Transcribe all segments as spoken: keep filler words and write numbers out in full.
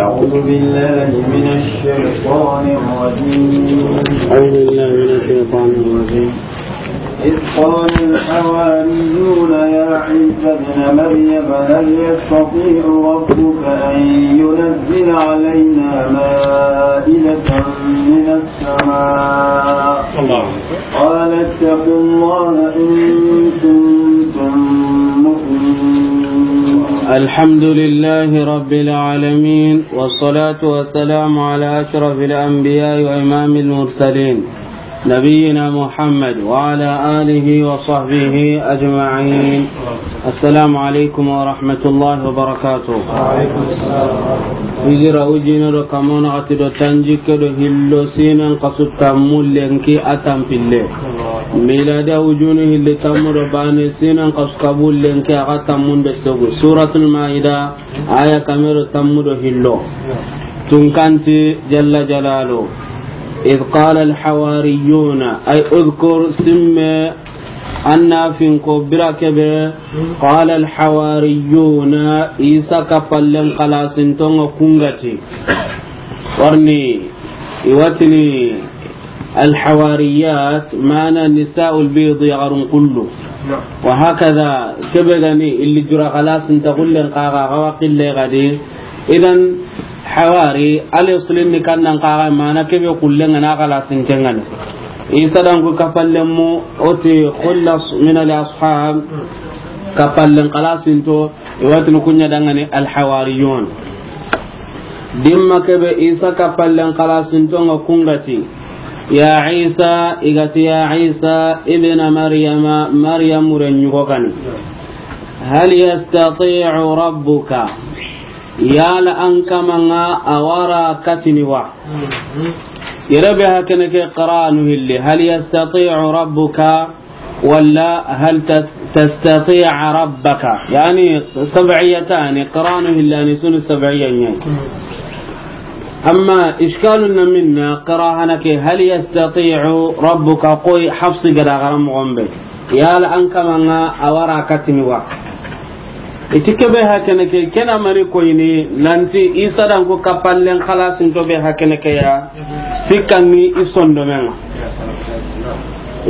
أعوذ بالله من الشيطان الرجيم. أعوذ بالله من الشيطان الرجيم. إذ قال الحواريون يا عيسى ابن مريم هل يستطيع ربك أن ينزل علينا مائدة من السماء؟ الله. قال اتقوا الله إن كنتم مؤمنين. الحمد لله رب العالمين، والصلاة والسلام على أشرف الأنبياء وإمام المرسلين، نبينا محمد وعلى آله وصحبه أجمعين. السلام عليكم ورحمة الله وبركاته. Hijira ujine do kamona gati do tanjikke do hillo sinen kasu tammu lenki a tampille. Miladi ujunu hilli tammu do bane sinen kasu kabu lenki a ga tammun do segu. Suratul Maida, aya kame do tammu do hillo. Tunkanti jalla jalalu. إذ قال الحواريون، أي اذكر سمي أن فينكو براكبه. قال الحواريون، عيسى كفلن خلاص انتون كونغتي. ورني يوتني الحواريات معنى نساء البيض يغرن كله. وهكذا كبغني اللي جرى خلاص انت كلن قاغا غوا قلي غدي. Idan, hawari, al-aslin ni kannan kaga mana kebe kullen na kala sinten ŋa ni. Isa dan ku kapallen mu, oti khullas min al-ashab, kapallen kala sinto, iwatini kunya dangani al-hawariyun. Dimma kebe Isa kapallen kala sinto nga kungati. Ya Isa, igati ya Isa, ibn Maryama, Maryam muren yugo kani. Hal yastati'u rabbuka? Yala an kamanŋa a wara katini wa? Yere be hakene ke qiranu hilli. Hal yastati'u rabbuka walla hal tas-, tastati'a rabbaka? Yani sab'iyatani, qiranu hillani sunu sab'iya ɲa. Amma ishkalun na minna qira hana ke, hal yastati'u rabbuka, koy Hafsi gada garam gombe. Yala an kamanŋa a wara katini wa? Iti kebe hakene ke, kena mani koyini nanti Isa dan ku kapallen khalasin to be hakene ke ya, sikkanni i sondomenŋa.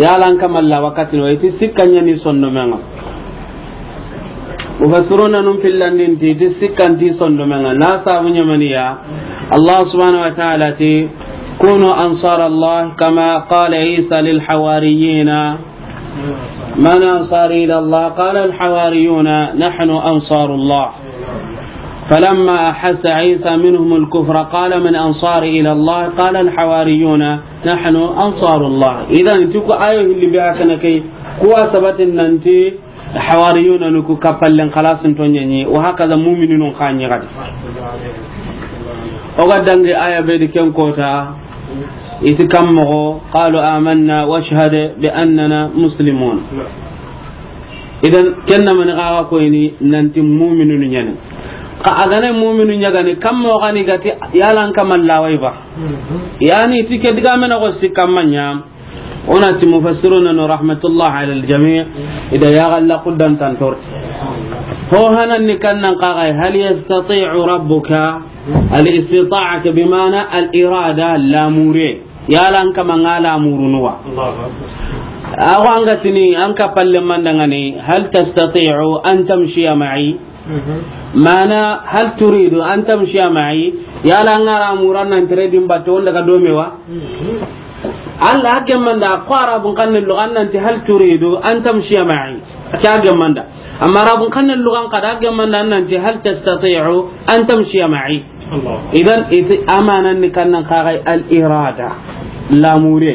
Yala an kamalla wakatini wa? Iti sikkanni sondomenŋa. Mufassiruna nun fillandin ti, ti sikkanti sondomenŋa. Na sabu ɲamaniya, Allah subhanahu wa ta'ala ti, kunu ansar Allah kama qala Isa lil hawariyina. من أنصاري إلى الله؟ قال الحواريون نحن أنصار الله. فلما أحس عيسى منهم الكفر قال من أنصاري إلى الله؟ قال الحواريون نحن أنصار الله. Idan, ti ku ayo hilli be hakana kai, kuwa sabatin nanti hawariyuna nu ku kapallen khalasin to ɲa ni, wa hakaza mu'minun xa ɲa gadi. O ga dangi aya be di ken kota, iti kammoxo, qalu amanna washhad bi annana muslimun. Idan, kenna mani xaxa koyini nanti mu'minunu ɲani. Xa a gana mu'minu ɲagani, kammoxo xani gati, yala an kamallawai ba? Yani, ti ke digamena xo sikkamma ɲa. Onati mufassiruna no rahmatullah ala al-jami', ida ya galla quddan tantor. Ho hanan ni kannan qaga, hal yastati'u rabbuka? Al-istita'a ke bimana al-irada, lamure. Yala an kamanŋa lamurunu wa? Ago an ga tini, an kapalle mandangani, hal tastati'u an tamshiya ma'i? Mana, hal turidu an tamshiya ma'i? Yala an ga ra muran nan tere dimba to, on daga dome wa? Allah a gemmanda, ko Arabun xannen luga an nanti hal turidu an tamshiya ma'i. A ke a gemmanda. Amma Arabun xannen lugan xada a gemmanda an nanti hal tastati'u an tamshiya ma'i. Idan, iti amanan ni kannan kagai al-irada. Lamure.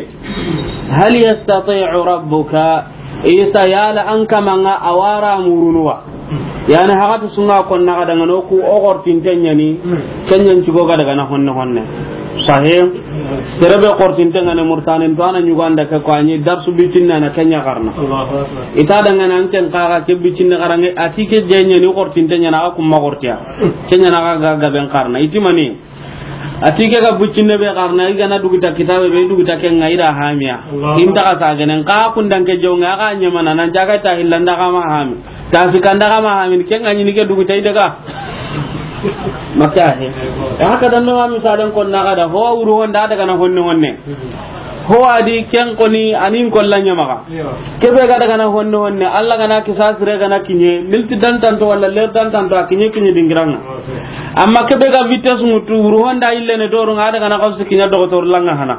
Hal yastati'u rabbuka? Isa, yala an kamanŋa a wara murunuwa? Yani, hagati sunga kon naga daga no ku o gortinte ɲani, kenyan cigo ga daga na honne honne. Sahih. Terebe gortinte ngane murtanin to ana ɲuganda ke ko ani darsu bitinna na kenya karna. Ita daga nan ken kaga ke bitinna karange, ati ke jenyani gortinte ɲana ga kuma gortiya. Kenya na ga ga ben karna. Itimani. Ati ke ga buccinne be karna, i gana duguta kitabe be, i duguta kenŋa, i da hamiya. Inta ka sa genen, ka kundan ke jonga, ka ɲamana, nan jaga ta hillanda ka ma hami. Ta sikanda ka ma hami, kenŋa ɲini ke duguta i daga. Maka he. Haka dan no, misalen ko na ga da ho wuru honda daga na honne honne. Ho a di ken koni anin ko la ɲa maxa. Ke be ga daga na honne honne, Alla ga na kisa sire ga na kiɲe, milti dan tanto wala ler dan tanto a kiɲe kiɲe dingiranga. Amma ke be ga vitesse mutu wuru honda ille ne doru nga daga na xawsi kiɲa dogotor langa hana.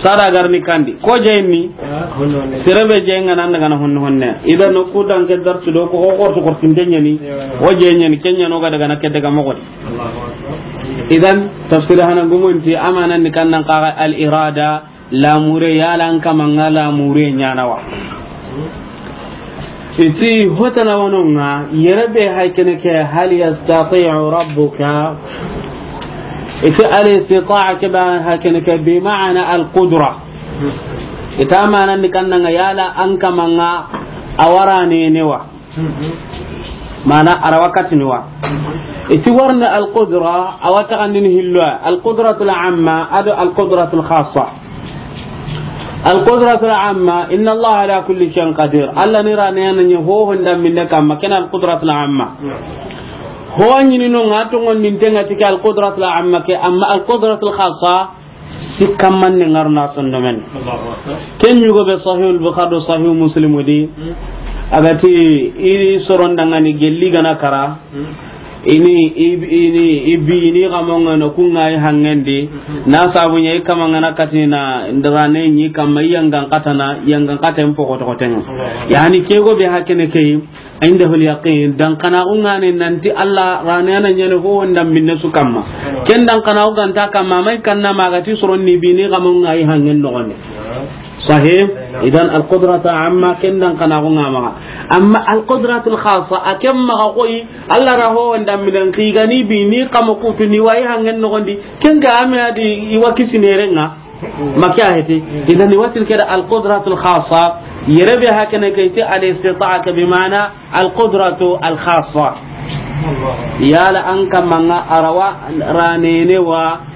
Sada garni kandi. Ko jeyni. Sere be jeyi nga nan daga na honne honne. Idan no ku dan ke darsu do ko ko ko ko tinde ɲani. O jeyi ɲani kenya no ga daga na ke daga mo godi. Idan tafsir hana gumunti amanan ni kannan qaga al irada, lamure, yala an kama nga lamure ɲana wa. Iti hotana wano nga, yere be hay kene ke, hal yastati'u rabbuka. Iti al istita'a ke ba hay kene ke bi ma'ana al qudra. Ita mana ni kanna nga yala an kama nga awara ne ne wa. Mana ara wakati ni wa. Iti warna al qudra, awata andini hilwa. Al qudratul amma, ado al qudratul khassa. Al qudratul amma, inna Allah ala kulli shay'in qadir. Alla ni rane na ɲa ho honda minne kamma, ken al qudratul amma. Ho ɲini no nga to ngon nin tenga tike al qudratul amma ke, amma al qudratul khassa, sikkamman ne ngarna sondomen. Ken ɲugo be Sahih al Bukhari do Sahih Muslim di. Agati ini soron dangani gelli gana kara. Ini, i, ini, i bi, ini kamonga no kunga i hangendi. Na sabu ɲa i kamanga na katina ndarane ɲi kamma i yangan katana, yangan katen poko toko tenga. Yani kego be hakene kei, indahu al yaqin, dan kana ungane nanti Alla rane ana ɲane ho wanda minne su kamma. Ken dan kana uganta kamma, mai kanna magati soron ni bi ni kamonga i hangen no gonde. Sahih. Idan al qudratu amma, ken dan kana ko ngama. Amma al qudratul khassa, a ken maxa koy, Alla ra ho wanda minan xigani bi ni kama kutu ni wa i hangen no gondi. Ken ga ame adi i wa kisi ne renga. Maka heti. Idan i watin keda al qudratul khassa, yere be hakene ke ti al istita'a ke bi ma'ana al qudratu al khassa. Yala an kamanga arawa ranene wa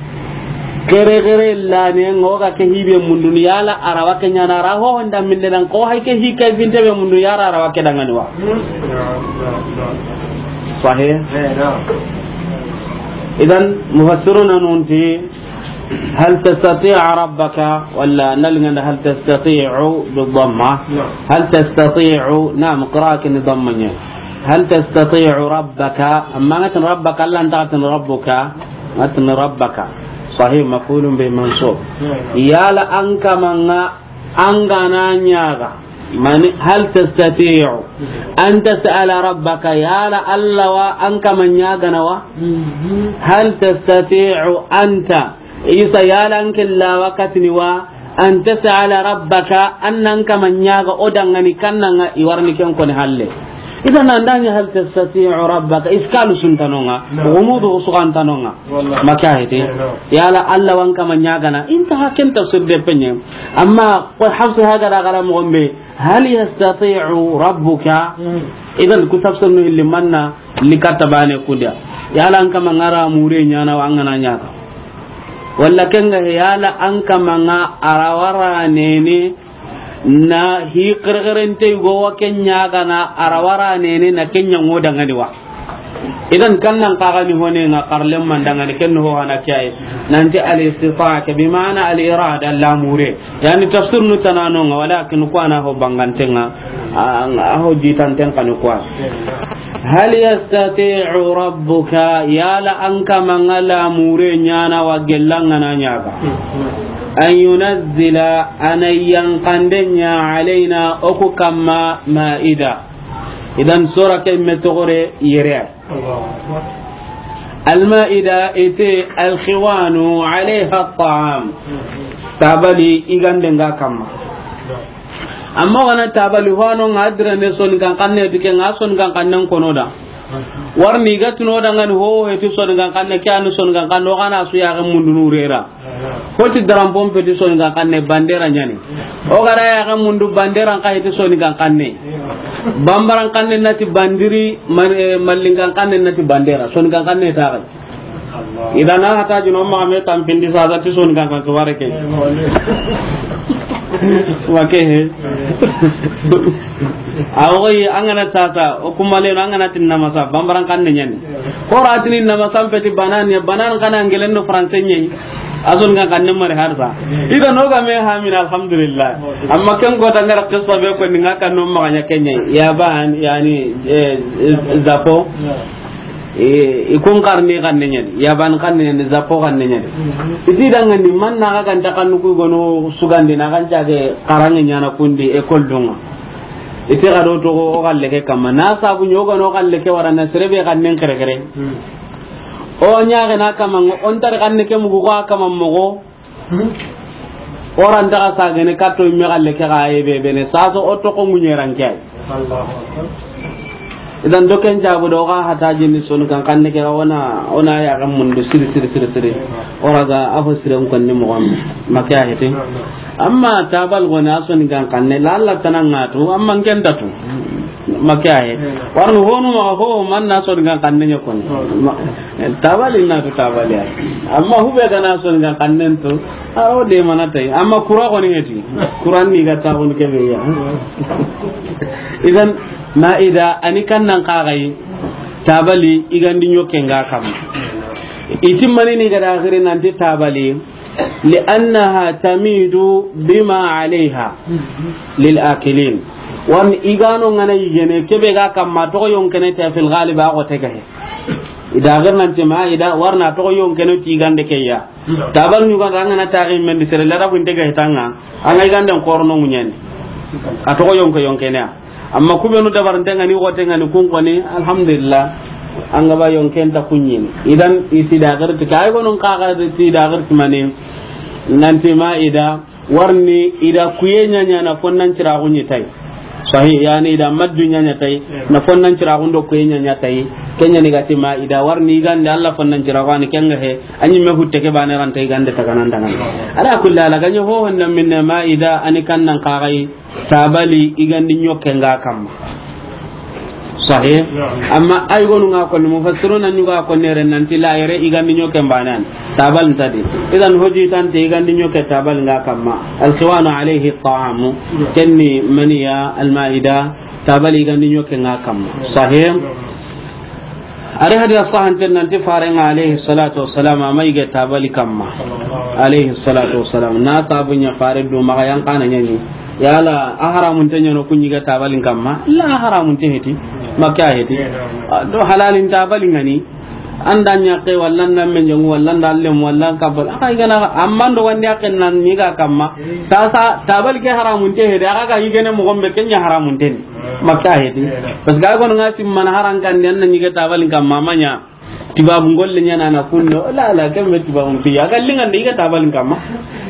kere kere lane ngoga ke hibe mundun, yala arawa ke ɲana ra ho honda minne dan ko hay ke hi kay binte be mundun yara arawa ke dangani wa. Sahih. Idan mufassiruna nunti هل تستطيع ربك ولا نلغن هل تستطيع بالضمة؟ نعم. هل تستطيع، نعم، قراءة ضمة. هل تستطيع ربك؟ أما أنت ربك، ألا أنت أنت ربك، أنت ربك. صحيح، مفعول به منصوب. نعم. Yala an kama nga an gana ɲaga. Mani, hal tastati'u an tas'ala rabbaka, yala Alla wa an kama ɲagana wa? Hal tastati'u anta, Isa, yala an kella wakatini wa, an tas'ala rabbaka, an nan kama ɲaga o dangani kannanga i warni ken koni halle. Idan andanya hal tastati'u rabbaka, iskalu suntanonga, gumudu sugantanonga. Maka hete. Yala Alla wa an kama ɲagana, inta haken tafsir de penye. Amma ko Hafsa haga da gara mo gombe, hal yastati'u rabbuka? Idan ku tafsir no illi manna li katta bane kuda. Yala an kama ngara mure ɲana wa an gana ɲaga. Walla kenga yala an kama nga arawara nene na hi qirqirinte go wa ken ɲagana arawara nene na ken ɲango dangani wa. Idan kannan kaga ni hone nga karlem mandangani ken ho hana kiyai. Nanti al istita'a ke bi ma'ana al irada, lamure. Yani tafsir nu tanano nga, walakin ko ana ho bangantenga, a, a ho jitanten kanu ko. Hal yastati'u rabbuka, yala an kama nga lamure ɲana wa gellanga na ɲaga. An yunazzila, ana yankandenya alaina oku kamma ma'ida. Idan sura ke me togore yere. Al-ma'ida ite al-khiwanu alayha at-ta'am. Tabali igande nga kamma. Amma gana tabali hano nga adrene son kan kanne dike nga son kan kanne kono da. Warni ga tuno da ngani ho heti son kan kanne, ke anu son kan kanne, o gana su ya ga mundu nurera. Hoti drampon peti soni kan kanne bandera ɲani. O gara ya ga mundu bandera nka heti soni kan kanne. Bambaran kanne nati bandiri, man-, eh, mallin kan kanne nati bandera. Soni kan kanne ta ga. Idana hata jino ma me tampindi sa ti soni kan kan kibare ke. Wa ke he. A wo yi, an ga na sasa, o kumaleno, an ga na ti namasa, bambaran xanne ɲa ni. Xo ra ti ni namasa n peti banane, banane xa na angelen do français ɲa yi. A soninkan xanne mari harsa. I ga no ga me hamina, alhamdulillah. Amma ken ko ta ngara qissa be ko ni nga kan no ma ɲa ken ɲa yi. Yaban, yani, eh, eh, Japon. Eh, i kun xarni xanne ɲa ni, Yaban xanne ɲa ni, Japon xanne ɲa ni. I ti dangani man na ga ganta xannu ku gono sugandi na kan cage xaranŋe ɲa na kundi école dunŋa. I ti ga do toxo o xalle ke kamma. Na sabu ɲo gono o xalle ke wara na sere be xannen kere kere. O ɲaxe na kamma, o n tari xanne ke mugu ko a kamma moxo. O ra nta xa sagene katto imme xalle ke xa ye be bene. Saso o toxo ŋuɲeran ke ay. Idan do ken jabu do xa hata jini soninkan xanne ke xa wona, wona ya ga mundu siri, siri, siri, siri. O ra ga afo siren konni moxo ma ke a hete. Amma tabal gona soninkan xanne, la Allah tana ngatu, amma n ken tatu. Ma ke a he. Warni honu ma ho man na soninkan xanne ɲa koni. Ma, tabali na tu tabali ya. Amma hube ga na soninkan xannen tu, a ro de mana tay. Amma kura koni heti. Kuran ni ga ta koni ke be ya. Idan, maida, a ni kan nan xa ga yi, tabali, i gandi ɲoke nga kam. I ti mani ni ga da xiri nan ti tabali, لأنها تميد بما عليها للآكلين. Warni i ga no ngana yigene, ke be ga kamma toxo yonkene ta fil ghalib a xote ga he. I da xiri nan ti maida, warna toxo yonkene ti gande ke ya. Tabal ɲuga da ngana taxi men di sere la rabu inte ga he tanga. An ga i ganden xorono ŋuɲani. A toxo yonke yonkene ya. Amma ku benu dabarante ngani, xote ngani, kun koni, alhamdulillah. An ga ba yonken ta kuɲini. Idan, i ti da xiri ti, kay gonun xa ga ti da xiri ti mani. Nan ti maida, warni i da kuye ɲaɲa na fonnan ciraxu ɲi tay. Sahih, yani i da maddu ɲaɲa tay, na fonnan ciraxu ndo kuye ɲaɲa tay. Ken ɲa ni ga ti maida, warni i gande Allah fonnan ciraxu ani ken ga he, a ɲi me hutte ke bane ranta i gande ta ganan dangan. Ala kulli hal, a ga ɲi ho honda minne maida, a ni kan nan xa ga yi. Tabali i gandi ɲoke nga kamma. Sahih. Amma ay gonu nga koni, mufassiruna ɲuga koni yere nan ti la yere i gandi ɲoke mbanan. Tabal ntadi. Idan hoji tante i gandi ɲoke tabal nga kamma. Alkhiwanu alayhi ta'amu. Kenni maniya almaida, tabali i gandi ɲoke nga kamma. Sahih. Ari hadisa sahanten nan ti farenga alayhi salatu wassalam, a ma yige tabali kamma. Alayhi salatu wassalam. Na sabu ɲa fare do maxa yan kana ɲani. Yala a haramunte ɲano ku ɲi ga tabalin kamma? La, a haramunte heti. Ma ke a heti. A do halalin tabali ngani. An da ɲa ke walla nan men jongu walla nan lem walla kabal. A ga i gana amma ndo wandi a ken nan ɲi ga kamma. Sasa tabali ke haramunte heti. A ga i gene mo gombe ken ɲa haramunte ni. Ma ke a heti. Parce que a gono nga simmana haran kan den na ɲi ga tabalin kamma ma ɲa. Tibabu ngolle ɲana na kunno, la, la, kembe tibabu ti ya. A ga lingande i ga tabalin kamma.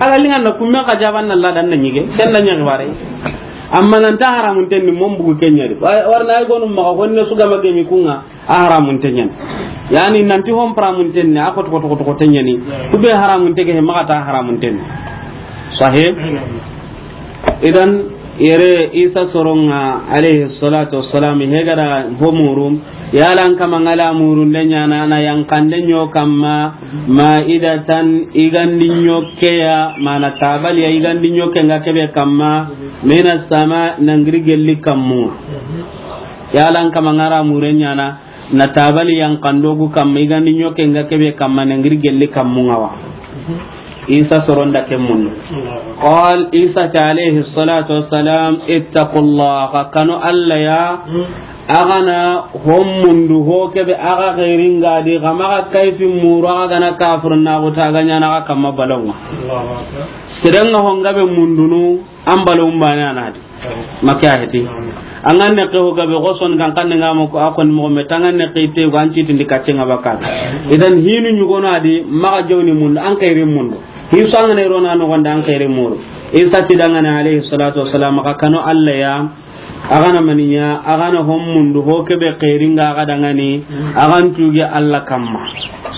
A ga lingande kumme ka jaban na la dan na ɲige, ken na ɲa bare. Amma nan ta haramunten ni mon bugu ken ɲa di. Wa-, warna ay gonu maxa honne su ga ma gemi kunga, a haramunten ɲa ni. Yani nan ti hon haramunten ni, a ko to, ko to, ko to, ko ten ɲa ni. Ku be haramunte ke he maxa ta haramunten ni. Sahih? Idan, yere Isa soronga, alayhi salatu wassalam, he ga da ho muru, yala an kama nga la murunde ɲana, na yankande ɲo kamma, maidatan, i gandi ɲoke ya, mana tabali ya, i gandi ɲoke nga kebe kamma, minas sama, na ngiri gelli kammu. Yala an kama nga ra mure ɲana, na tabali yankando gu kamma, i gandi ɲoke nga kebe kamma, na ngiri gelli kammu nga wa. Isa soronda ke mun. Qal, Isa ta alayhi salatu wassalam, ittaqullaha, kanu Alla ya, a ga na hon mundu ho kebe a ga xeeringa di, xa maxa kayfi muru, a ga na kafir na go ta ga ɲana ga kamma balonga. Serenga honga be mundunu, an balo umbane anadi. Ma ke a heti. An ga ne ke ho gabe go son kan kan nga mo ko a kon mo me tanga ne ke te go an ci tindi kacce nga baka. Idan hinu ɲugo na di maxa jawni mun an kayri mun. Hi so an ne rona no gonda an kayri mun. Isa ti dangane alayhi salatu wassalam ka kanu Alla ya. A ga na maniya, a ga na hon mundu ho kebe xeeringa a ga dangani, a ga n tuge Alla kamma.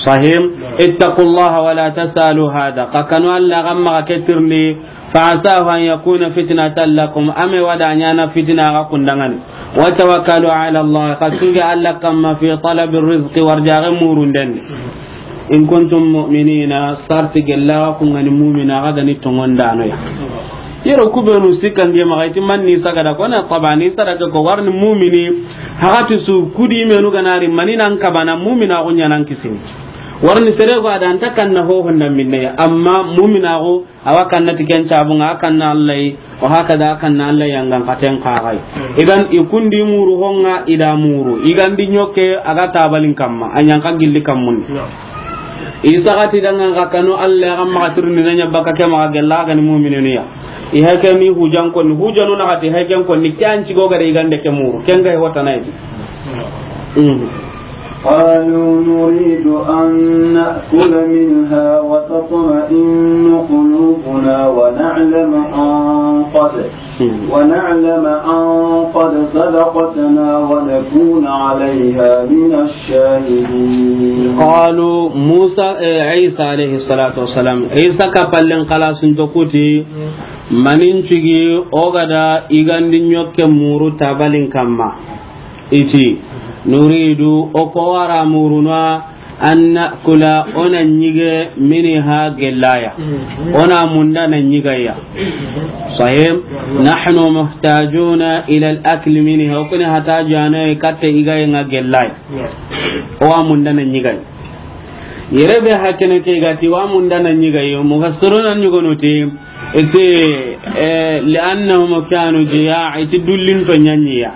Sahim, ittaqullaha wa la tasalu hada. Ka kanu Alla kamma ka ketirni, فعساه أن يكون فتنة لكم, a me wa da ɲana fitina ga kundangani. وتوكلوا على الله, ka tuge Alla kamma في طلب الرزق, warjaxe murunden. إن كنتم مؤمنين, sarti gella ga kungani mu'mina ga gani tongondano ya. Ero ku benu sikkange maxa i ti man ni sagada ko na taba ni sadaka ko warni mumini. Hagati su kudi menu ganari mani nan kabana mumina ko ɲanan kisini. Warni sere ko adan ta kanna ho honda minne amma mumina ko awa kanna ti ken cabunga, a kanna Allah yi, o hakada a kanna Allah yangan katen kaxay. Idan i kundi muru honga i da muru. I gandi ɲoke a ga tabalin kamma, a ɲanka gilli kammun. I saxati dangan ka kanu Allah ya ga maxa tirni na ɲa baka ke maxa gella ga ni mu'mininu ya. I hake ni hujan ko ni hujanu na hati haken ko ni kyan ci go ga de i gande ke muru. Ken ga hota na yi. قالوا نريد أن نأكل منها وتطمئن قلوبنا ونعلم أن قد، ونعلم أن قد صدقتنا ونكون عليها من الشاهدين. قالوا موسى، إيه، عيسى عليه الصلاة والسلام، عيسى كفلن خلاص انتكوتي، manin cigi o ga da i gandi ɲoke muru tabalin kamma. I ti, nuridu, o ko wara muruna, an na'kula, o na ɲige, minha, gellaya. O na munda na ɲigaya. Sahih? Nahnu muhtajuna ila al-akli minha. O kuni hata jana katte i ga yi nga gellaya. O wa munda na ɲigaya. Yere be hakene ke ga ti wa munda na ɲigaya. Mufassiruna ɲugonuti. Iti, eh, li'annahum kanu jiya'a, iti dullin to ɲaɲiya.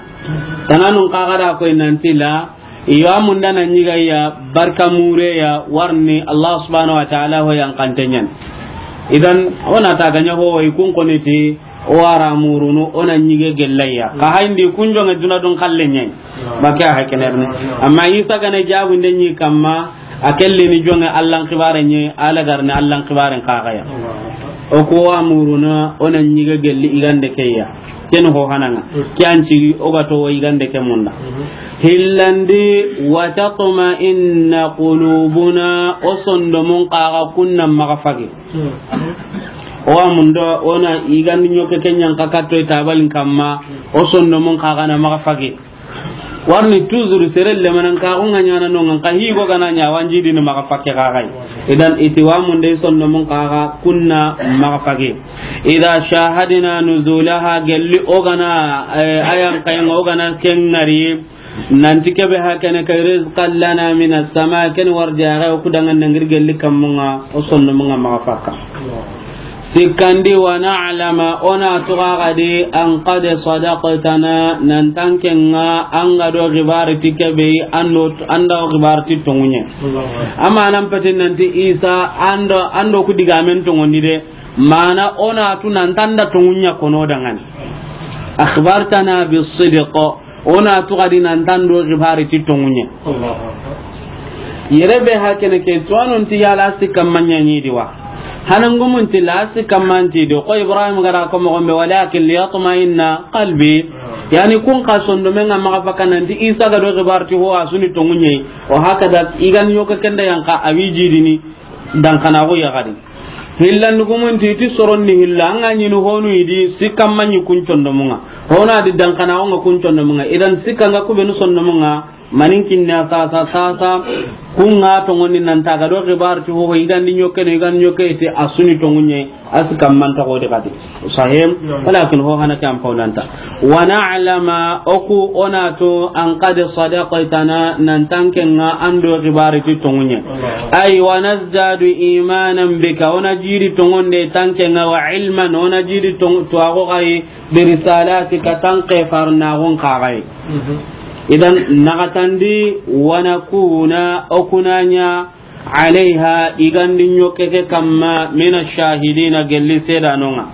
Tananun kaga da koy nanti la, i wa munda na ɲigaya, barka mure ya, warni Allah subhanahu wa ta'ala ho yan kantenyan. Idan, o na ta ganya ho, i kun koniti, o wara murunu, o na ɲige gellaya. Ka hayndi kun jonge duna dun kalle ɲen. Ba ke a hakenerni. Amma Isa gane jabu nde ɲi kamma, a kelle ni jonge Allan kibare ɲi, ala garni Allan kibaren kagaya. O ko wa muruna, o na ɲige gelli i gande keya. Ken ho hananga. Kyan cigi, o ga to i gande ke munda. Hillandi, wa tatma'inna qulubuna, o sondomun kaga kunna maga fage. O wa mundo, o na i gandi ɲoke kenyan ka katto i tabalin kamma, o sondomun kaga na maga fage. Warni toujours sere lemanan ka ko nga ɲana no nga ka hi go gana ɲa wanji dini maga fakke ka gai. Idan iti wa mun de sonno mun ka ga kunna maga fakke. Idha shahadna nuzulaha, gelli o gana, eh, ayan kay o gana ken ngari. Nanti kebe hakene kay rizqan lana min as-sama, ken warja ga ku dangan nangir gelli kamunga o sonno munga maga fakka. Sikkandi, wa na'lama, o na tuga gadi, an qad sadaqtana, nan tankenga an ga do gibari ti kebe, an do, an do gibari ti tongunye. Amma nan peti nanti Isa, an do, an do ku digamen tongondi de, mana o na tu nan tanda tongunya kono dangani. Akhbartana bis sidq, o na tu gadi nan tando gibari ti tongunye. Allahu Akbar. Yere be hakene ke tuwanon ti yala sikka manya ni diwa. Hanangumun ti la sikka manti do ko Ibrahim gara ko mo gombe, walakin liyatma'inna qalbi. Yani kun ka sondo men ga maga fakanan ti Isa ga do gibari ti ho asuni tongunye. O hakada igan yoka kenda yanka awi jidini. Dan kana go ya gadi. Hillan gumun ti ti soron ni hilla, an ga ɲini honu idi, sikka manyi kun condomunga. Hona di dan kana onga kun condomunga. Idan sikka nga ku benu sondomunga, manin kinna sasa, sasa, kunga tongoni nan taga do gibar ti ho, igan di ɲoke no, igan ɲoke ti asuni tongunye, asikka manta ko de kati. Sahim, walakin ho hana kam paulanta. Wa na'lama, o ku o na tu an qad sadaqtana, nan tankenga an do gibari ti tongunye. Ay, wa nazdadu imanan bika, o na jiri tongonde tankenga, wa ilman, o na jiri tong-, tuwago gayi, bi risalatika, tanke farnagon kagayi. Idan, nagatandi, wa nakuna, o kunanya, alayha, igandi ɲoke ke kamma, mina shahidina, gelli sedanonga.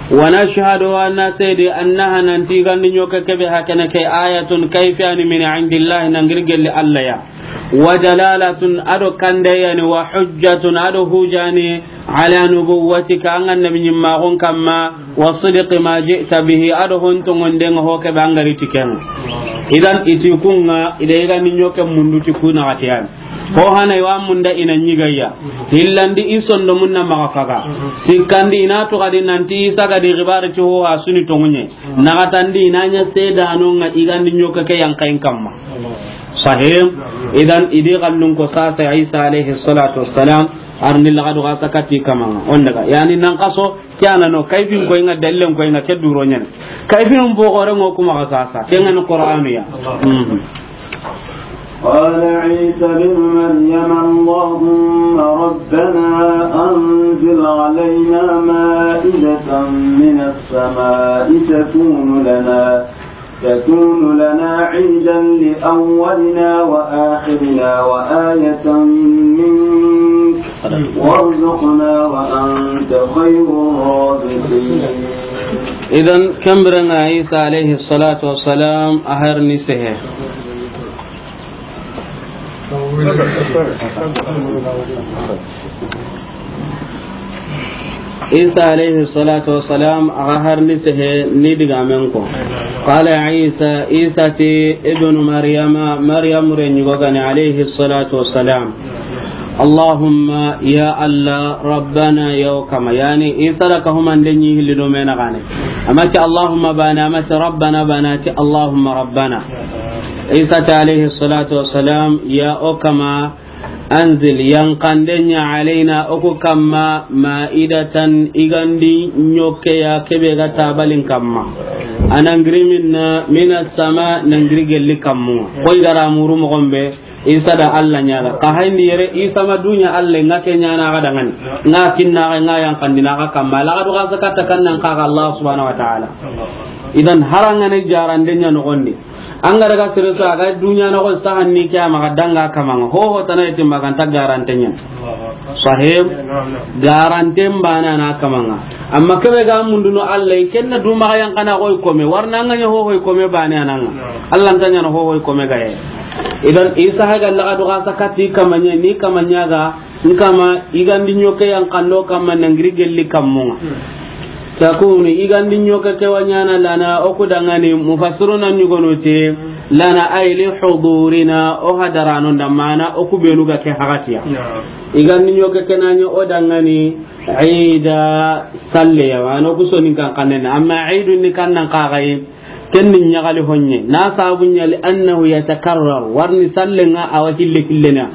Wa nashhadu, anna sedi, annaha, nanti igandi ɲoke ke be hakene ke, ayatun, kayfiyani, min indillahi, nangir gelli Allah ya. Wa dalalatun, ado kandeyani, wa hujjatun, ado hujani, ala nubuwwatika, an annabi ɲimmaxun kamma, wa sidqi ma ji'ta bihi, ado hon tongondenga ho ke be angari tikenga. Idan iti kunga, ida igandi ɲoke mundu ti kuna gatiyani. Ho hana iwa munda ina ɲigaya. Hillandi i sondomun na maga faga. Sikkandi ina to gadi nanti Isa gadi gibari ti ho asuni tongunye. Nagatandi ina ɲa sedanonga igandi ɲoke ke yankayin kamma. Sahim. Idan idi gallun ko sasa Isa alayhi salatu wassalam arni lagadu gasa kati kamanga. On daga. Yani nan kaso Ke a na no, kayfin koy ŋa, dallen koy ŋa, ke duro ɲa ni. Kayfin bo gore ŋo kuma ga sasa. Ke ŋa ni Qur'anu ya. Mhm. قال عيسى ابن مريم اللهم ربنا أنزل علينا مائدة من السماء تكون لنا، تكون لنا عيدا لأولنا وآخرنا وآية منك وارزقنا وأنت خير الرازقين. Idan, ken biren ŋa Isa alayhi salatu wassalam a har ni sehe. Isa alayhi salatu wassalam, a ga har ni sehe ni digamen ko. Qala Isa, Isa ti ibnu Maryama, Maryam renɲugo ga ni alayhi salatu wassalam. Allahumma, ya Allah, Rabbana, ya o kama. Yani, Isa da ka humande ɲi hilli do mena gane. A ma ti Allahumma bane, a ma ti Rabbana bane, a ti Allahumma Rabbana. Isa ti alayhi salatu wassalam, ya o kama, anzil, yanqande ɲa, alayna, o ku kamma, ma'idatan, yigandi ɲoke ya, ke be ga tabalin kamma. A na giri minna, mina sama, na giri gelli kammu. Koy gara muru moxo be, Isa da Allah ɲaga. Ka hayndi yere Isa ma duɲa Allah ŋa ke ɲana ga dangani. Ŋa kinna ga ŋa yanqandina ga kamma. Laga do ga sakatta kannan ka ga Allah subhanahu wa ta'ala. Idan harangane jarande ɲa noxondi. An ga daga sere sa ga duɲa noxo sahanni ke a ma ga danga kamaŋa. Ho ho tana yeti ma ga nta garante ɲa. Sahib, garanten bane a na kamaŋa. Amma ke be ga munduno Allah, ken na du ma ga yanqana koy kome, warna ŋa ɲa ho ho kome bane a na ŋa. Allah nta ɲana ho ho kome ga ye. Idan Isa ha ga laga do ga sakati kamaɲa, ni kamaɲa ga, nkama yigandi ɲoke yanqando kamma na giri gelli kammuŋa. Takunu, yigandi ɲoke ke wa ɲana lana, o ku dangani, mufassiruna ɲugonu ti, lana ay li hudurina, o hadarano nda mana, o ku benu ga ke hagatiya. Yigandi ɲoke ke na ɲa o dangani, ida salle ya, wa no ku soninkan xannen, amma idu ni kannan kaxayi, ken ni ɲaxali honɲe, na sabu ɲa li annahu yatakarrar, warni sallen ŋa a wa hille hillena.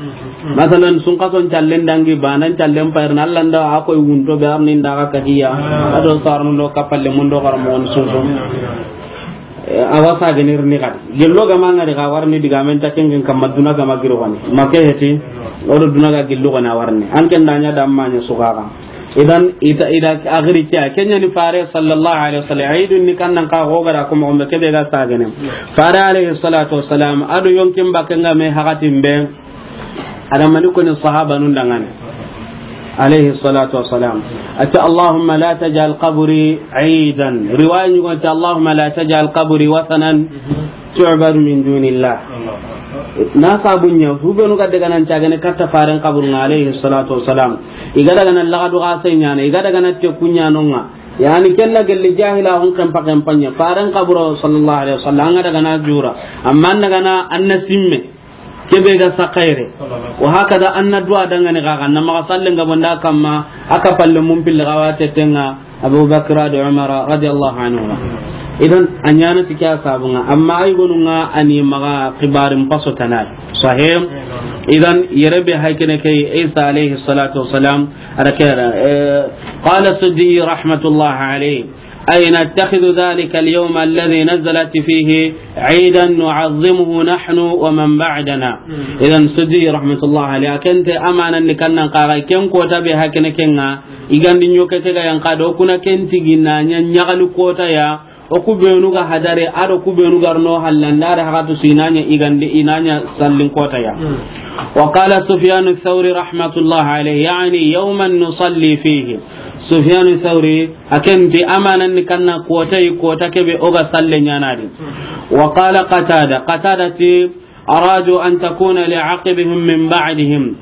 Masalan, sunkason callen dangi, banan callen payirna, Allah nda a koy wunto be arni nda ga kahiya, a do sarnu do kapalle mun do garmo on soso. Eh, a wa sagenir ni gadi. Gello ga ma ŋari ga warni digamen ta kengen kamma duna ga ma giro gani. Ma ke heti, o do duna ga gello gana warni. An ken da ɲa da amma ɲa sugaga. Idan, ita, ida, agiri kiya. Kenya ni fare sallallahu alaihi wasallam. Idun ni kannan ka gogara kuma umbe ke be ga sagene. Fare alaihi salatu wassalam. A do yonkin bakenga me hakatin be. Adamani ko ni sahaba nun dangane. Alaihi salatu wassalam. Ati, Allahumma la taj'al qabri idan. Riwaya ɲugo ati, Allahumma la taj'al qabri wathanan tu'badu min dunillah. Na sabu ɲa, hubenu ga daga nan cagane katta faren kaburun ŋa, alaihi salatu wassalam. I ga daga nan lagadu ga sai ɲana, i ga daga nan te kuɲanonga. Yani, ken na gelli jahila hun kan pakan panya. Faren kaburo sallallahu alaihi wasallam, an ga daga na jura. Amma an daga na, an na simme. Ke be ga sa xayre. Wa hakada an na duwa dangane ga, ga na maxa sallen ga bonda kamma, a ka palle mun pille ga wa tetenga, Abu Bakr do Umar radiyallahu anhu. Idan, a ɲana ti ke ya sabunga, amma ay gonunga ani maxa xibarin paso tanay. Sahih. Idan, yere be haykene ke Isa alayhi salatu wassalam, a da ke, eh, qala Suddi rahmatullahi alayhi, ay nattakhidhu dhalika al-yawma alladhi nazalat fihi idan nu'azzimuhu nahnu wa man ba'dana. Idan Suddi rahmatullahi alayhi, a ken ti amanan ni kannan kaga ken kota be haykene kenga, yigandi ɲoke ke ga yanqa do kuna ken tigi na ɲa ɲaxali kota ya, o ku benu ga hadare, a do ku benu ga ri no hallanda, a da haqatu su i na ɲa yigandi, i na ɲa sallin kota ya. Wa qala Sufyanu Thawri rahmatullahi alayhi, yani yawman nusalli fihi. Sufyanu Thawri, a ken ti amanan ni kanna kota yi, kota ke be o ga salle ɲana di. Wa qala Qatada, Qatada ti, aradu an takuna li aqibihim min ba'dihim.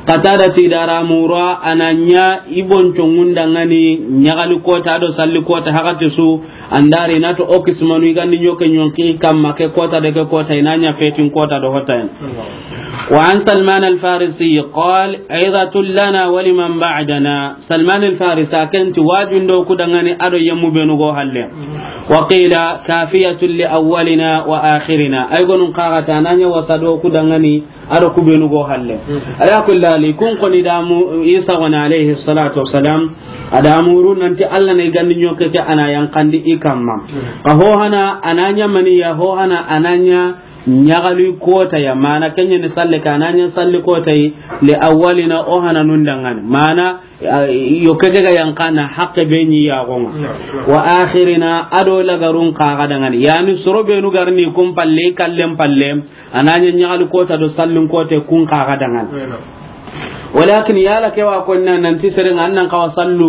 Qatada ti dara mura a na ɲa i boncongun dangani ɲaxali kota do salli kota haqati su, an da ri na to o kismanu yigandi ɲoke ɲonki kamma ke kota de ke kota i na ɲa fetin kota do hotayen. Wa an Salman al-Farisi qal, idatun lana wa liman ba'dana. Salman al-Farisi a ken ti wajun do ku dangani a do yemmu benu go halle. Wa qila kafiyatun li awwalina wa akhirina. Ay gonun kaga ta na ɲa wasa do ku dangani a do ku benu go halle. Ala kulli hali, kun koni damu Isa wani alayhi salatu wassalam. A da muru nanti Alla na i gandi ɲoke ke a na yanqandi i kamma. Xa ho hana a na ɲa mani ya, ho hana a na ɲa ɲaxali kota ya, mana ke ɲa ni salle ke a na ɲa salli kota yi, li awwalina o hana nun dangani. Mana, a, yo ke ke ga yanqa na haqqe be ɲi ya gonga. Wa akhirina a do lagarun xa ga dangani. Yani soro be nu garni kun palle, kallen palle, a na ɲa ɲaxali kota do sallin kote kun xa ga dangani. Walakin yala ke wa konna nanti seren an nan xawa sallu,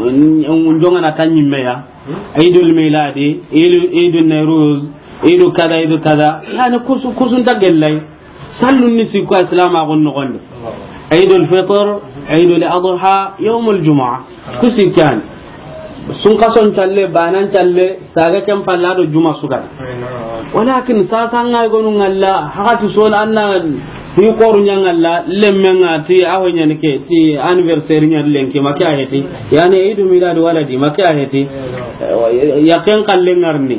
mm, jongana ta ɲimme ya. Eidul miladi, eidu, eidu nairuz, eidu kada, eidu kada. Yani kusu, kusun ta gellai. Sallu ni sikko Islam a gon nogondi. Eidul fitr, eidul adha, yawmul jumu'a. Kusi kan. Sunkason calle, banan calle, saga ken palla do juma sugada. Walakin sasa nga gonu ngalla, hakati sol anna, ni koru nya ngalla, lemme nga ti, aho nya ni ke, ti anniversaire nya lenki, ma ke a heti. Yani, eidu milad waladi, ma ke a heti. Ya ken kalle ngarni.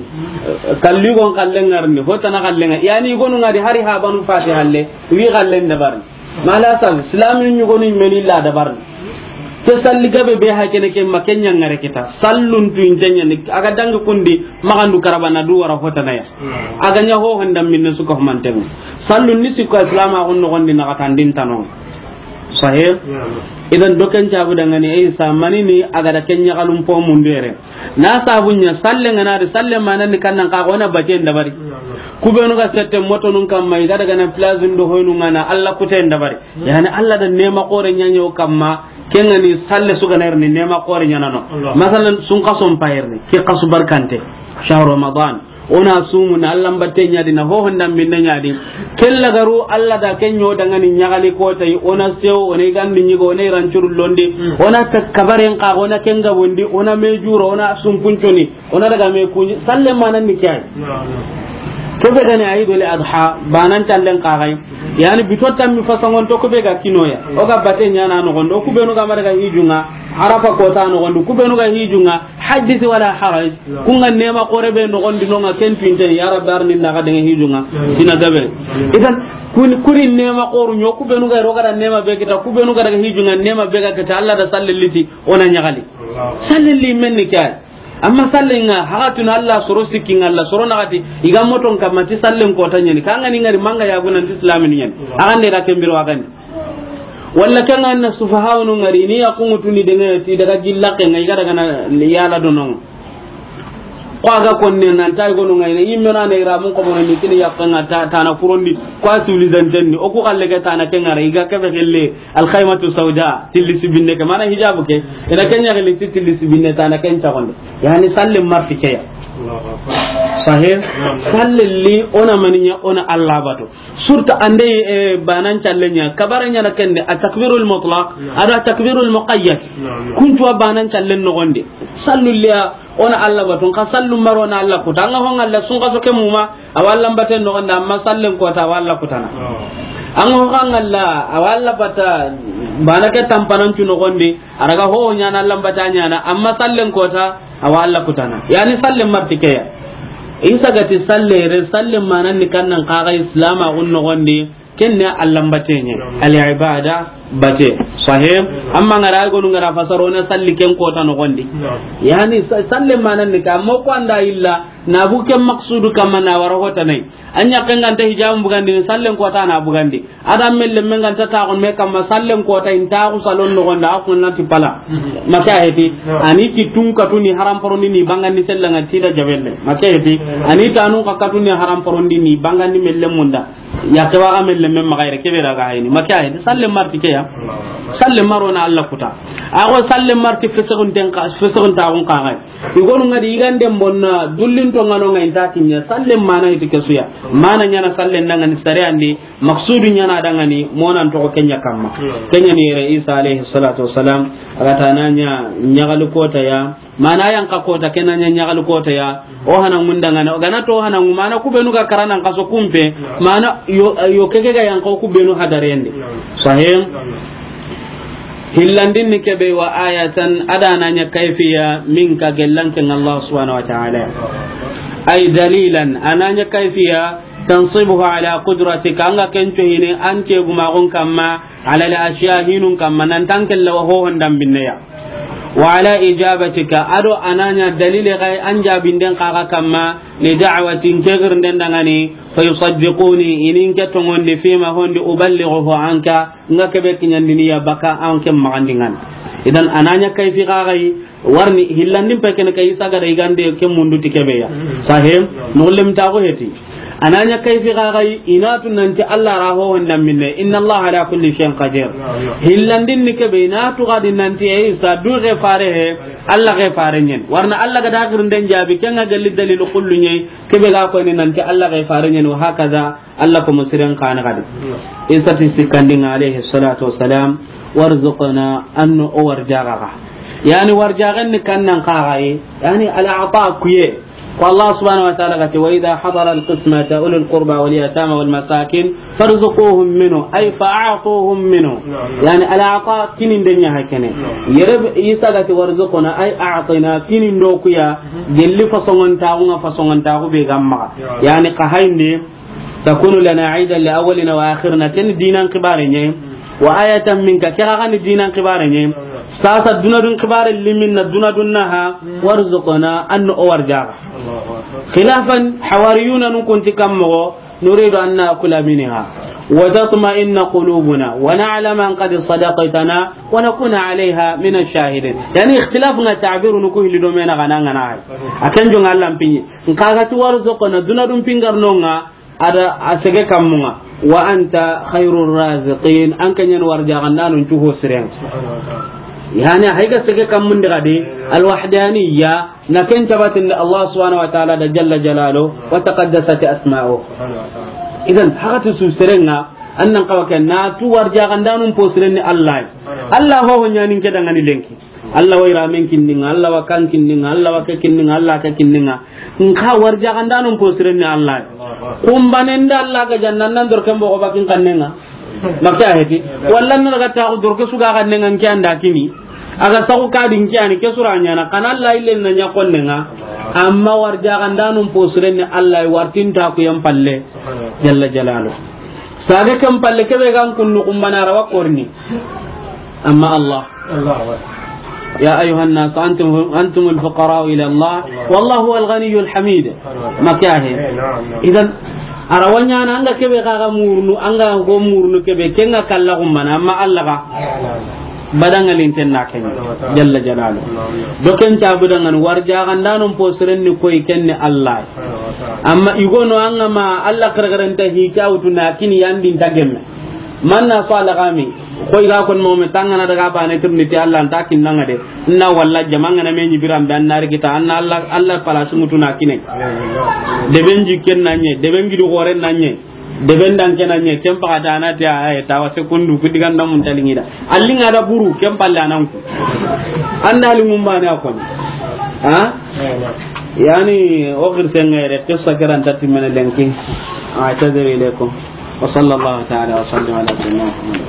Kalli gon kalle ngarni, hotana kalle ngarni. Yani, gonu ngadi hari habanu fati halle, wi kalle ndabarni. Mala sal, islamin ɲugonu meni la dabarni. Ke salli gabe be ha kene ke ma ke ɲa ngare kita. Sallun tu intenya ni, a ga dangi kundi, magandu karabana du wara hotana ya. A ga ɲa ho handa minne suka humanten. Sallun ni sikko Islam a gon nogondi na katandin tanon. Sahih? Idan doken jabu dangani, eh, sa manini a ga da ken ɲaxalun po mundere. Na sabu ɲa salle ngana di, salle manan ni kannan ka gona baten dabari. Ku benu ga sette moto nun kamma, i ga daga na plazun do hoynu ngana, Alla kuten dabari. Yani Alla da nema kore ɲaɲo kamma, kengani salle suga nerni nema kore ɲanano. Masalan, sunkason payerni, ke kasu barkante, shahru Ramadan. Ona sumu na Alla mbatte ɲadi, na ho honda minne ɲadi. Kella garu Alla da ken ɲo dangani ɲaxali kota yi, ona sewo, ona i gandi ɲigo, ona i rancuru londi, ona ta kabaren ka, ona ken gabondi, ona me juro, ona sumpunconi, ona daga me kuɲi, salle manan ni kay. Kebe gani Eidul Adha, banan callen ka gay. Yani bito tammi fasangon to kube ga kinoya. O ga bate ɲana no gondo, ku benu ga mara ga hijunga, Arafa kota no gondo, ku benu ga hijunga, Haddith wala haraj. Kunga nema kore be nogondi nonga ken tuinten, ya Rabbi arni ndaga denge hijunga. Sina gabe. Idan, kun, kuri nema koru ɲo, ku benu ga roga da nema be kita, ku benu ga daga hijunga, nema be ga kita, Alla da salle liti, ona ɲaxali. Salle li menni kay. Amma salle nga, hakatuna Alla soro sikki nga Alla soro naxati, i ga moton kamma ti sallen kota ɲani, kanga ni ngari manga ya gunan ti islamin ɲani. Agande da kembiro agande. Walla kanga na sufahawnu ngari ni ya kungu tuni denge ti daga jilla ke ngai ga daga na yala donon. Ko a ga konne nan tay gonu ngai ne, imme na ne ira mun ko mo ni kini ya kanga ta, tana kurondi, ko a suli zanten ni, o ku kalle ke tana ke ngara, i ga ke be gelle, al khaymatu sauda, tilli sibinne ke, mana hijabu ke, ina kenya gelle ti tilli sibinne tana ken ta gonde. Yani salle marti ke ya. Sahih? Salle li ona maninya, ona Alla bato. Surta ande, eh, banan callen ɲa, kabara ɲa na kende, a takbirul mutlaq, ada takbirul muqayyad. Kuntu a banan callen no gonde. Sallu liya, ona Alla batun, ka sallu maro na Alla kuta. Anga hon Alla sun ka so ke muma, a walla mbaten no gonde, amma sallen kota a walla kutana. Anga hon Alla, a walla bata, bana ke tampanan cu no gonde, a raga ho ɲana Alla mbata ɲana, amma sallen kota, a walla kutana. Yani sallen marti ke ya. Isa gati salle re, sallen manan ni kannan kaga islama gun no gonde, Ken ne Alla mbateɲe, al ibada bate. Sahih. Amma ngara gonu ngara fasaro na salli ken kota no gondi. Yani sa-, salle manan ni ka mo ko anda illa na bu ken maqsudu kamma na wara hota nay. Anya kan ganta hijabun bugandi ni sallen kota na bugandi. Adam melle men ganta ta gon me kamma sallen kota in ta ku salon no gonda ku na ti pala. Maka heti. Ani ti tun katuni haram poroni ni bangandi sellanga ti da jabelle. Maka heti. Ani tanun ka katuni haram poroni ni bangandi melle munda. Ya ke waga melle men maxa yere kebe daga hayni. Maka hayni. Salle marti ke ya. Salle maro na Alla kuta. Ago salle marti fesegun ten ka, fesegun ta gun ka hay. Igonu ngadi igande mbonna dullin to ngano ngai ta kinya. Salle mana iti kesuya. Mana nyana salle ndangani sare andi. Maksudu nyana dangani monan to kenya kamma. Kenya ni yere Isa alayhi salatu wassalam. Aga tananya nyagalu kota ya. Mana yan ka kota kena nya nyagal kota ya. O hana ngunda ngana. O gana to hana ngu mana ku benu ga karana nkaso kumpe. Mana yo, yo keke ga yan ko ku benu hadarende. Sahih. Hillandin ni kebe wa ayatan adana nya kayfiya min ka gellan ken Allah subhanahu wa ta'ala. Ay dalilan ananya kayfiya tansibuhu ala qudratika anga ken to hine ante guma gon kamma ala al ashiya hinun kamma nan tankella wa ho hondan binneya. وعلى إجابتك, a do a na ɲa dalile xa yi an jaabinden xa ga kamma, لدعوتي, n ke girnden dangani, فيصدقوني, i ni n ke tongondi, فيما, hondi, أبلغه عنك, n ga ke be kiɲandini ya baka an ke maxandingana. Idan a na ɲa kayfi xa ga yi, warni hillandin pe ken ke Isa ga da yigande ke mundu ti ke be ya. Sahim, nullem ta ko heti. A na ɲa kayfi xa ga yi, i na tu nanti Alla ra ho honda minne, إن الله على كل شيء قدير. Hillandin ni ke be, i na tu ga di nanti Isa du ke fare he, Alla ke fare ɲen. Warna Alla ga da girnden jaabi, ken ga galli dalilu kullu ɲe, ke be ga ko ni nanti Alla ke fare ɲen, وهكذا, Alla ko musiren xa na ga di. Isa ti sikkandinga, عليه الصلاة والسلام, وارزقنا, an no o warjaxa xa. Yani warjaxen ni kannan xa ga yi, yani العطاء kuye. Ko Allah subhanahu wa ta'ala ga ti, وإذا حضر القسمة أولو القربى واليتامى والمساكين فارزقوهم منه، أي فأعطوهم منه. Naam, naam. Yani, العطاء kininden ɲa hakene. Naam. Yere Isa ga ti, وارزقنا، أي أعطنا, kinindo kuya, gelli fasongontaxu ŋa, fasongontaxu be ga maxa. Naam. Yani, xa hayndi, تكون لنا عيدا لأولنا وآخرنا, ken dinan xibare ɲe. وآية منك, ke xa ga ni dinan xibare ɲe. Sasa dunadun xibare limin na dunadun naha, وارزقنا, an no o warjaxa. خلافا, hawariyuna nun kun ti kan moxo, نريد أن نأكل منها وتطمئن قلوبنا ونعلم أن قد صدقتنا ونكون عليها من الشاهدين. Yani, ikhtilaf nga ta'biru nu ku hilli do mena gana ngana hay. A ken jonga Allah mpinyi. Nka ga ti وارزقنا, dunadun pingar nonga, a da a sege kammunga. وأنت خير الرازقين, an ken yan warjaxandanun cu ho siren. Yani, hay ga sege kammun di ga di, الوحدانية, na ken tabatin da Allah subhanahu wa ta'ala da jalla jalaluhu, وتقدست أسماؤه. Idan, haqati su serenga, an nan xawa ken na tu warjaxandanun po siren ni Allah. Allah ho ho ɲanin ke dangani lenki. Allah wa iramen kinninga, Allah wa kan kinninga, Allah wa ke kinninga, Allah ke kinninga. Nka warjaxandanun po siren ni Allah. Kumbanen da Allah ga jannan nan dor ken bogo bakin kannenga. Makka heti. Wallan na ga ta dor ke su ga kannenga, nke anda kini. A ga saxu ka di nke ani ke sura ɲana, kana Allah illen na ɲa konnenga. Amma warjaxandanun po siren ni Allah, wartin ta ku yan palle. Jalla jalaluhu. Sage ken palle ke be gan kunnu kumbana rawa korni. Amma Allah. يا أيها الناس أنتم، أنتم الفقراء إلى الله والله هو الغني الحميد. Makka he. Idan, a ra wa ɲaana an ga ke be xa ga murunu, an ga go murunu ke be, ken ga kalla kumbana, amma Allah ga. Badangalin ten na ken. Jalla jalaluhu. Do ken ta budangani warjaxandanun po siren ni koy ken ni Allah. Amma i go no an ga ma Allah kargaranta hi ka wutu na kini yandi nta gemme. Man na so Allah ga mi, koy ga kon mo me tangana daga bane tirni ti Allah nta kinnanga de. Na walla jamanga na me ni biran be annari kita, anna Allah, Allah pala sumutu na kine. De benji ken nanye, de benji du gore nanye. Deben dan ke na ɲe, ken paxata a na ti a, a ye tawa sekundu, ku digan da mun talingi da. A linga da buru, ken palle a nan ku. An da lingun bane a koni. Ha? Yani, o xirsen ŋere, qissa ke ra nta timmene lenki. أعتذر إليكم. وصلى الله تعالى وسلم على سيدنا محمد.